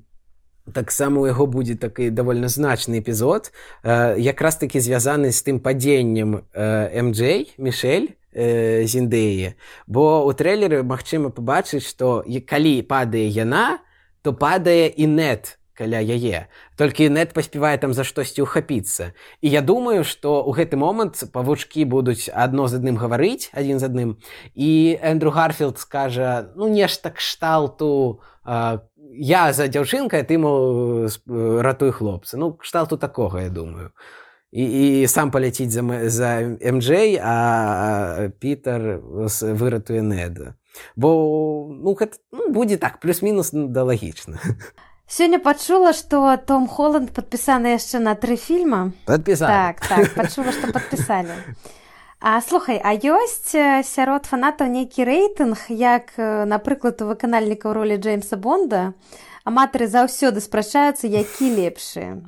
таксама у яго будзе такі давольна значны эпізод, э, якраз такі звязаны з тым падзеннем э, эм джей, Мішэль, э, Зіндеі. Бо ў трэйлеры магчыма пабачыць, што калі падае яна, то падае і Нед каля яе. Толькі Нед паспявае там за штосьці ўхапіцца. І я думаю, што ў гэты момант павучкі будуць адно з адным гаварыць, адзін з адным, і Эндрю Гарфілд скажа, ну, нешта кшталту, э, я за дзяўчынка, ты, мол, ратуй хлопца. Ну, кшталту такога, я думаю. І, і сам паляціць за, за эм джей, а Пітер выратуе Неда. Бо, ну, гэта ну, будзе так, плюс-мінус да лагічна. Сёння пачула, што Том Холланд падпісаны яшчэ на тры фільма. Падпісаны. Так, так, пачула, што падпісалі. А слухай, а ёсць сярод фанатаў нейкі рэйтынг, як, напрыклад, у выканальнікаў ролі Джеймса Бонда, аматары заўсёды спрачаюцца, які лепшы.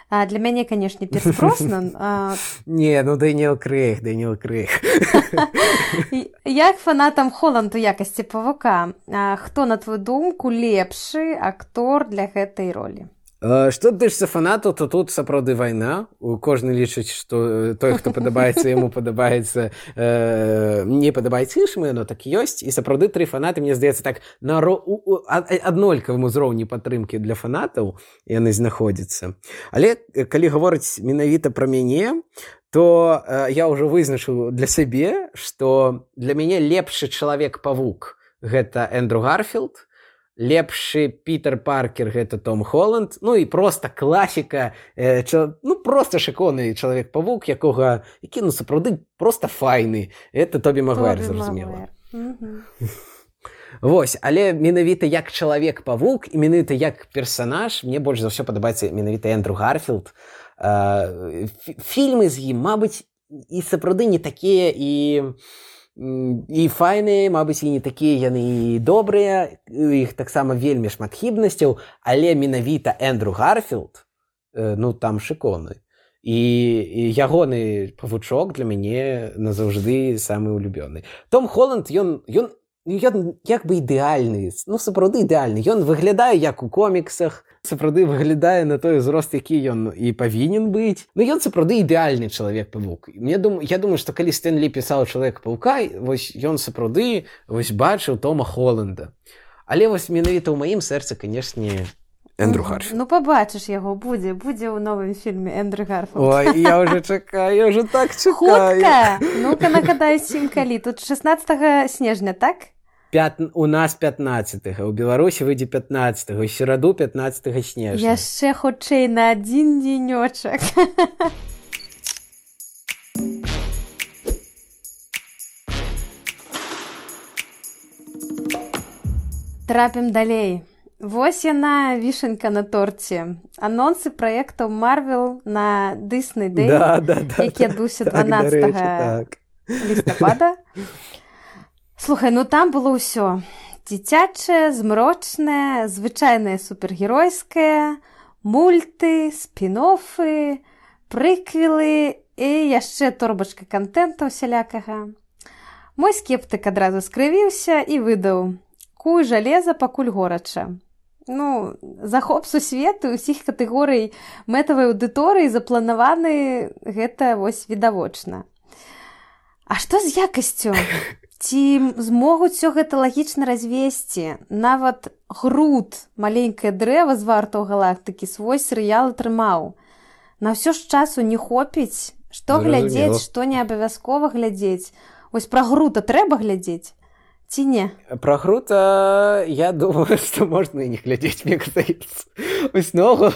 А для мяне, канешне, Пірс Броснан. А... Не, ну Дэніел Крэйг, Дэніел Крэйг. Як фанатам Холланд у якасці Павука, а хто, на твою думку, лепшы актор для гэтай ролі? Што тычыцца фанатаў, то тут сапраўды вайна. Кожны лічыць, што той, хто падабаецца, яму падабаецца, э, не падабаецца іншым, яно так ёсць. І сапраўды тры фанаты, мне здаецца, так на ро... аднолькавым узроўні падтрымкі для фанатаў яны знаходзяцца. Але калі гаворыць менавіта пра мяне, то э, я ўжо вызначыў для сябе, што для мяне лепшы чалавек-павук гэта Эндрю Гарфілд, лепшы Пітер Паркер гэта Том Холланд, ну і проста класіка, э, ча, ну проста шыкоўны чалавек-павук, якога, які, ну, сапраўды проста файны. Это Тобі Магуайр, зразумела. Вось, але менавіта як чалавек-павук і менавіта як персанаж мне больш за ўсё падабаецца менавіта Эндрю Гарфілд. Э, фільмы з ім, мабыць, і сапраўды не такія і... і файныя, мабыць, і не такія яны і добрыя, іх таксама вельмі шмат хібнасцяў, але менавіта Эндрю Гарфілд, ну, там шыкоўны. І, і ягоны павучок для мяне назаўжды самы улюбёны. Том Холланд, ён, ён, ён як бы ідэальны, ну, сапраўды ідэальны. Ён выглядае як у коміксах, сапраўды выглядае на той узрост, які ён і павінен быць. Ну, ён сапраўды ідэальны чалавек-павук. Мне дум... Я думаю, што калі Стэн Лі пісаў Чалавека-паўка, вось ён сапраўды вось бачыў Тома Холланда. Але вось менавіта ў маім сэрцы, канешне, Эндрю Гарфілд. Ну, пабачыш яго, будзе, будзе ў новым фільме Эндрю Гарфілд. Ой, я ўжо чакаю, я ўжо так чакаю. Хутка! Ну-ка, нагадаю сім калі. Тут шаснаццатага снежня, так? Пят... У нас пятнадцатага, у Беларусі выйдзе пятнадцатага, у сераду пятнадцатага снежня. Яшчэ хутчэй на адзін дзенёчак. Трапім далей. вось яна, вішенька на торце. Анонсы праектаў Marvel на Disney Day, да, да, да, які адбыўся так, дванаццатага так. лістапада. Слухай, ну там было ўсё. Дзіцячае, змрочнае, звычайнае супергеройскае, мульты, спін-оффы, прыквелы і яшчэ торбачка контента усялякага. Мой скептык адразу скрывіўся і выдаў: куй жалеза, пакуль горача. Ну, захоп сусвету ўсіх катэгорый мэтавай аўдыторыі запланаваны, гэта вось відавочна. А што з якасцю? Ці змогуць усё гэта лагічна развесці? Нават Грут, маленькае дрэва з вартаў галактыкі, свой серыял атрымаў. На ўсё ж часу не хопіць. Што глядзець, што не абавязкова глядзець. Вось пра Грута трэба глядзець? Ці не? Про Грута я думаю, что можно и не глядеть, мне кажется. Ось ногу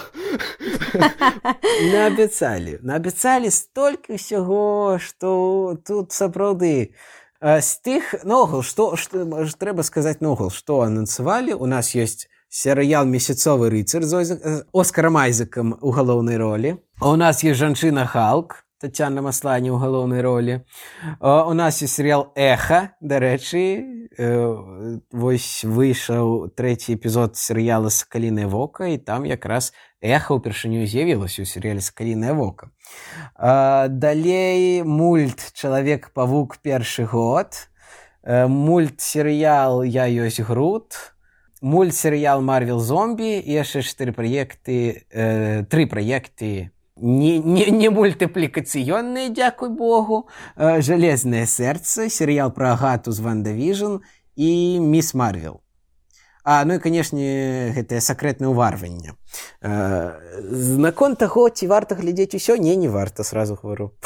наобяцалі. Наобяцалі столькі ўсяго, што тут сапраўды з тых ногул, што, што трэба сказаць ногул, што анансавалі. У нас ёсць серыял «Месяцовы рыцар» з Оскарам Айзекам у галоўнай ролі. У нас ёсць жанчына Халк, Тацяна Маслані ў галоўнай ролі. У нас ёсць серыял «Эха», дарэчы, вось выйшаў трэці эпізод серыяла «Сакалінае вока», і там якраз Эха ўпершыню з'явілася ў серыяле «Сакалінае вока». Далей мульт «Чалавек-павук» першы год, мульт-серыял «Я ёсць Грут», мульт-серыял «Марвел зомбі» і яшчэ чатыры праекты, тры праекты Не, не, не мультипликационные, дякуй богу, э, «Железное сердце», сериал про Агату з Ванда Віжн и «Мисс Марвел». А, ну и, конечно, это «Сакрэтнае ўварванне». Э, наконт таго, ці варта глядзець усё? Не, не варта, сразу говорю.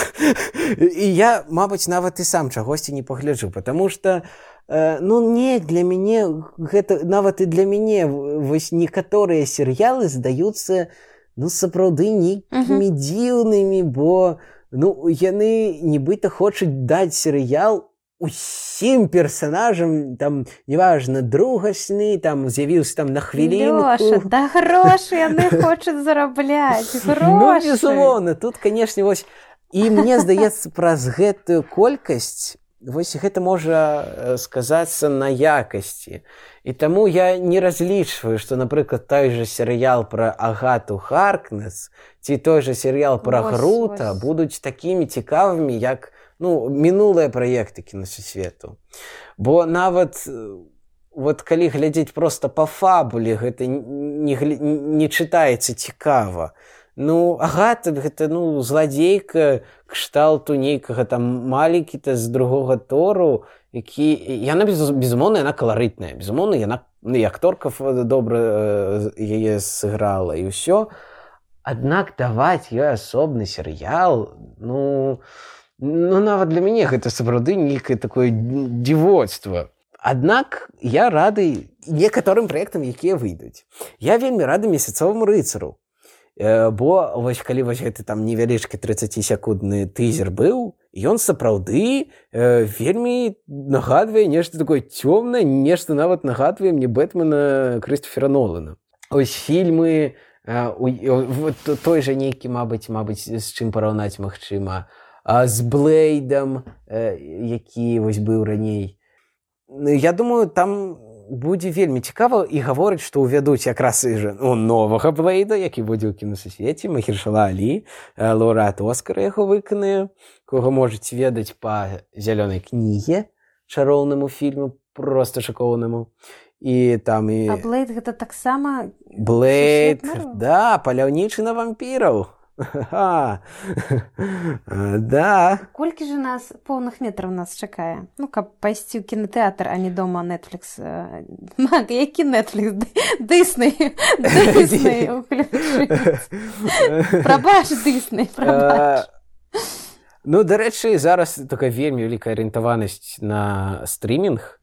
И я, мабыць, нават і сам чагосьці не пагляджу, потому что э, ну, не, для мяне, гэта, нават і для мяне, вось некаторыя серыялы здаюцца ну, сапраўды нейкімі uh-huh. дзіўнымі, бо ну, яны нібыта хочуць даць серыял усім персанажам, там, неважна, другасны, там, з'явіўся там на хвілінку. Лёша, да грошы яны хочуць зарабляць, грошы. Ну, безумоўна, тут, канешне, вось, і мне здаецца, праз гэтую колькасць, вось гэта можа сказацца на якасці. І таму я не разлічваю, што, напрыклад, той же серыял пра Агату Харкнес ці той же серыял пра ось, Грута ось. Будуць такімі цікавымі, як ну, мінулыя праекты кінасусвету. Бо нават вот, калі глядзець проста па фабуле, гэта не, не чытаецца цікава. Ну, Агата, гэта, ну, зладзейка кшталту нейкага там маленькі-то з другога Тору, які... Яна, безумоўна, яна каларытная. Безумоўна, яна, ну, і акторка добра яе сыграла, і ўсё. Аднак даваць ёй асобны серыял, ну, ну, нават для мяне гэта сапраўды нейкае такое дзівоцтва. Аднак я рады некаторым праектам, якія выйдуць. Я вельмі рады «Месяцоваму рыцару». Бо вось калі вось гэты там невялічкі трыццацісекундны тызер быў, ён сапраўды э, вельмі нагадвае нешта такое цёмнае, нешта нават нагадвае мне Бэтмена Крыстофера Нолана. Ось фільмы, э, у, вот той жа нейкі, мабыць, мабыць, з чым параўнаць магчыма, а з Блэйдам, э, які вось быў раней. Я думаю, там будзе вельмі цікава і гаворыць, што ўвядуць якраз і ну, новага Блэйда, які будзе ў кінасусвеце, Махершала Алі, лаўрэат Оскара яго выканае, кого можаце ведаць па зялёнай кнізе, чароўнаму фільму, проста шакоўнаму. І там і... А Блэйд гэта таксама... Блэйд, да, паляўнічы на вампіраў. Ха, да. Колькі ж нас поўных метраў нас чакае? Ну, каб пайсці ў кінотэатр, а не дома Netflix. Мак, які Netflix? Дысней. Дысней уключыць. Прабач, Дысней, прабач. Ну, дарэчы, зараз такая вельмі вялікая арыентаванасць на стрімінг.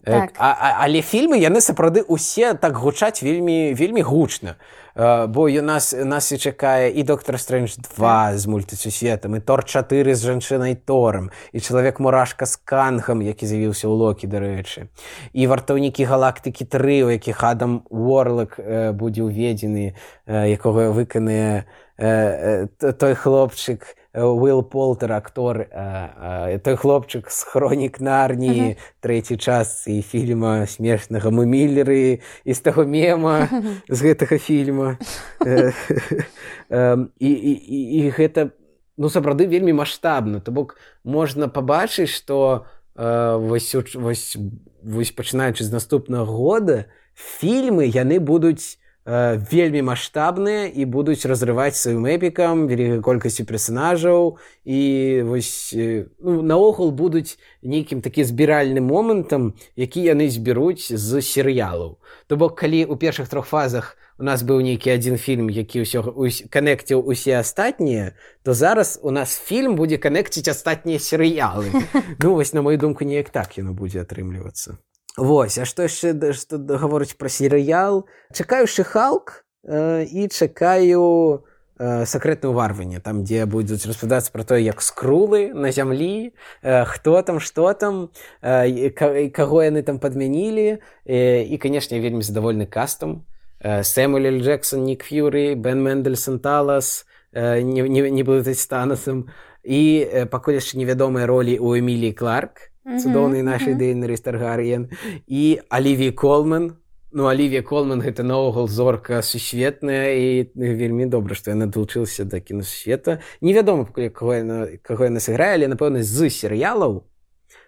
Так. А, а, але фільмы яны сапраўды усе так гучаць вельмі вельмі гучна. Бо у нас, нас і чакае і Доктор Стрэндж два з мультысусветам, і Тор чатыры з жанчынай Торам, і Чалавек-мурашка з Кангам, які з'явіўся ў Локі, дарэчы, і Вартаўнікі галактыкі тры, у якіх Адам Уорлок э, будзе ўведзены, э, якога выканае э, э, той хлопчык, Уилл Полтер, актор, а, а, той хлопчык з хронік Нарніі, uh-huh. трэцяй частцы фільма смешнага «Мы міллеры», і з таго мема з гэтага фільма. І, і, і гэта, ну, сапраўды вельмі маштабна. То бок можна пабачыць, што вось, вось, вось пачынаючы з наступнага года фільмы яны будуць вельмі маштабныя і будуць разрываць сваім эпікам, вялікай колькасцю персанажаў і вось, ну, наогул будуць нейкім такі збіральным момантам, які яны зберуць з серыялаў. То бок, калі ў першых трох фазах у нас быў нейкі адзін фільм, які ўсё канекціў усе астатнія, то зараз у нас фільм будзе канекціць астатнія серыялы. Ну, вось, на мою думку, неяк так яно будзе атрымлівацца. Вось, а што яшчэ што гаворыць пра серыял? Чакаю Ши-Халк э, і чакаю э, Сакрэтнае ўварванне, там, дзе будуць распавядацца пра тое, як скрулы на зямлі, э, хто там, што там, э, каго яны там падмянілі. Э, і, канешне, я вельмі задавольны кастам. Э, Сэмюэл Л. Джексон, Нік Ф'юрі, Бен Мендельсон, Талас, э, не, не, не блытаць з Танасам. І э, пакуль яшчэ невядомыя ролі ў Эміліі Кларк, цудоўнай нашай Дейнерыс Таргар'ен, і Алівія Колман. Ну, Алівія Колман — гэта наогул зорка сусветная, і вельмі добра, што яна далучылася да кінасусвета. Невядома, каго яна, каго яна сыграе, але, напэўна, з серыялаў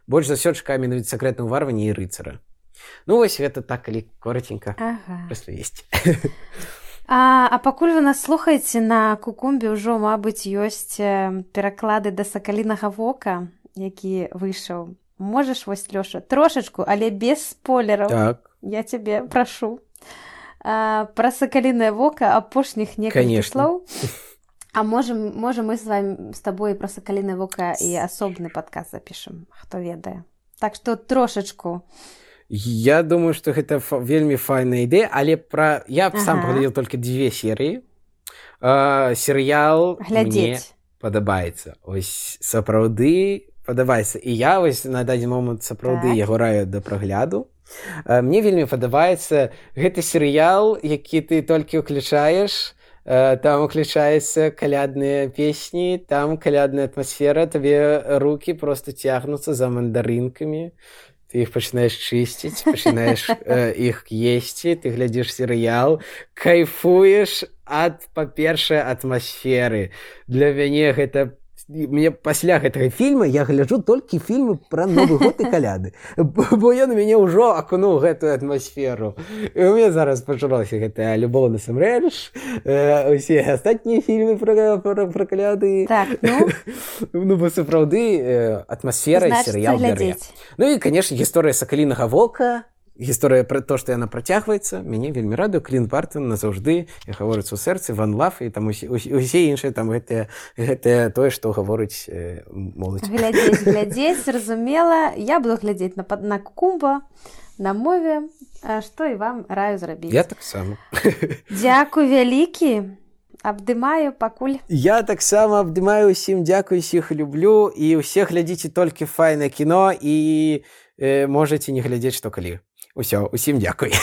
больш за ўсё чакаю менавіта Сакрэтнае ўварванне і Рыцара. Ну, вось гэта так, калі коротенька ага. распавесці. А, а пакуль вы нас слухаеце, на Кукумбе ўжо, мабыць, ёсць пераклады да Сакалінага вока, які выйшаў. Можаш, вось, Лёша, трошачку, але без спойлераў. Так. Я цябе прашу. А, пра Сакалінае вока апошніх некалькі слоў. А можем, можем мы з вами, з табой пра Сакалінае вока і асобны падкаст запішам, хто ведае. Так што трошачку. Я думаю, што гэта фа- вельмі файная ідэя, але пра... я ага. сам паглядзеў толькі дзве серыі. А, серыял Глядзець. Мне падабаецца. Ось сапраўды падабаецца. І я вось на дадзены момант сапраўды так. яго раю да прагляду. Мне вельмі падабаецца гэты серыял, які ты толькі ўключаеш. Там уключаюцца калядныя песні, там калядная атмасфера, табе рукі проста цягнуцца за мандарынкамі. Ты іх пачынаеш чысціць, пачынаеш э, іх есці, ты глядзіш серыял, кайфуеш ад, па-першае, атмасферы. Для мяне гэта... Мне пасля гэтага фільма я гляджу толькі фільмы пра Новы год і каляды, бо ён у мяне ўжо акунуў гэтую атмасферу. І у мяне зараз пачалася гэтая любоў насамрэч, э, усе астатнія фільмы пра, пра, пра каляды. Так, ну? Ну, бо сапраўды э, атмасфера і серыял бярэ. Ну і, канешне, гісторыя Сакалінага вока, гісторыя пра то, што яна працягваецца, мяне вельмі радуе. Клінт Бартон назаўжды, як гаворыцца ў сэрцы, Ван Лаф і там усе, усе іншыя, там гэтыя, гэтыя тое, што гаворыць э, моладзь. Глядзець, глядзець, зразумела. Я буду глядзець на, на Кукумба, на мове, што і вам раю зрабіць. Я таксама. Дзякуй вялікі. Абдымаю пакуль. Я таксама абдымаю ўсім, дзякую, усіх люблю, і ўсе глядзіце толькі файнае кіно, і э, можаце не глядзець што калі. Усё, усім дзякуй.